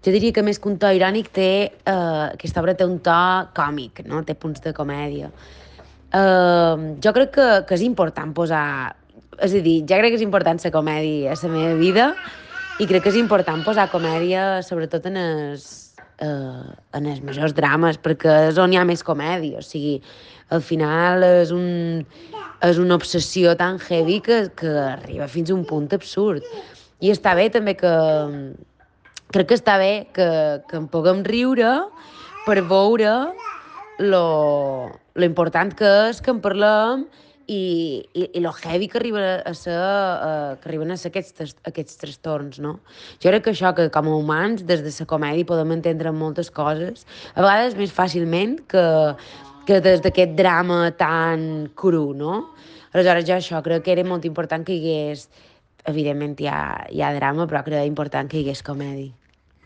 Jo diria que més que un to irònic aquesta obra té un to còmic, no? Té punts de comèdia. Jo crec que és important posar... És a dir, ja crec que és important la comèdia a la meva vida i crec que és important posar comèdia sobretot en els majors drames, perquè és on hi ha més comèdia. O sigui, al final és una obsessió tan heavy que arriba fins a un punt absurd. I està bé també crec que està bé que en puguem riure per veure lo important que és que en parlem i lo heavy que arriba a ser, que arriben a ser aquests trastorns, no? Jo crec que això, que com a humans, des de la comèdia podem entendre moltes coses, a vegades més fàcilment que des d'aquest drama tan cru, no? Aleshores, jo això crec que era molt important que hi hagués, evidentment hi ha drama, però crec important que hi hagués comèdia.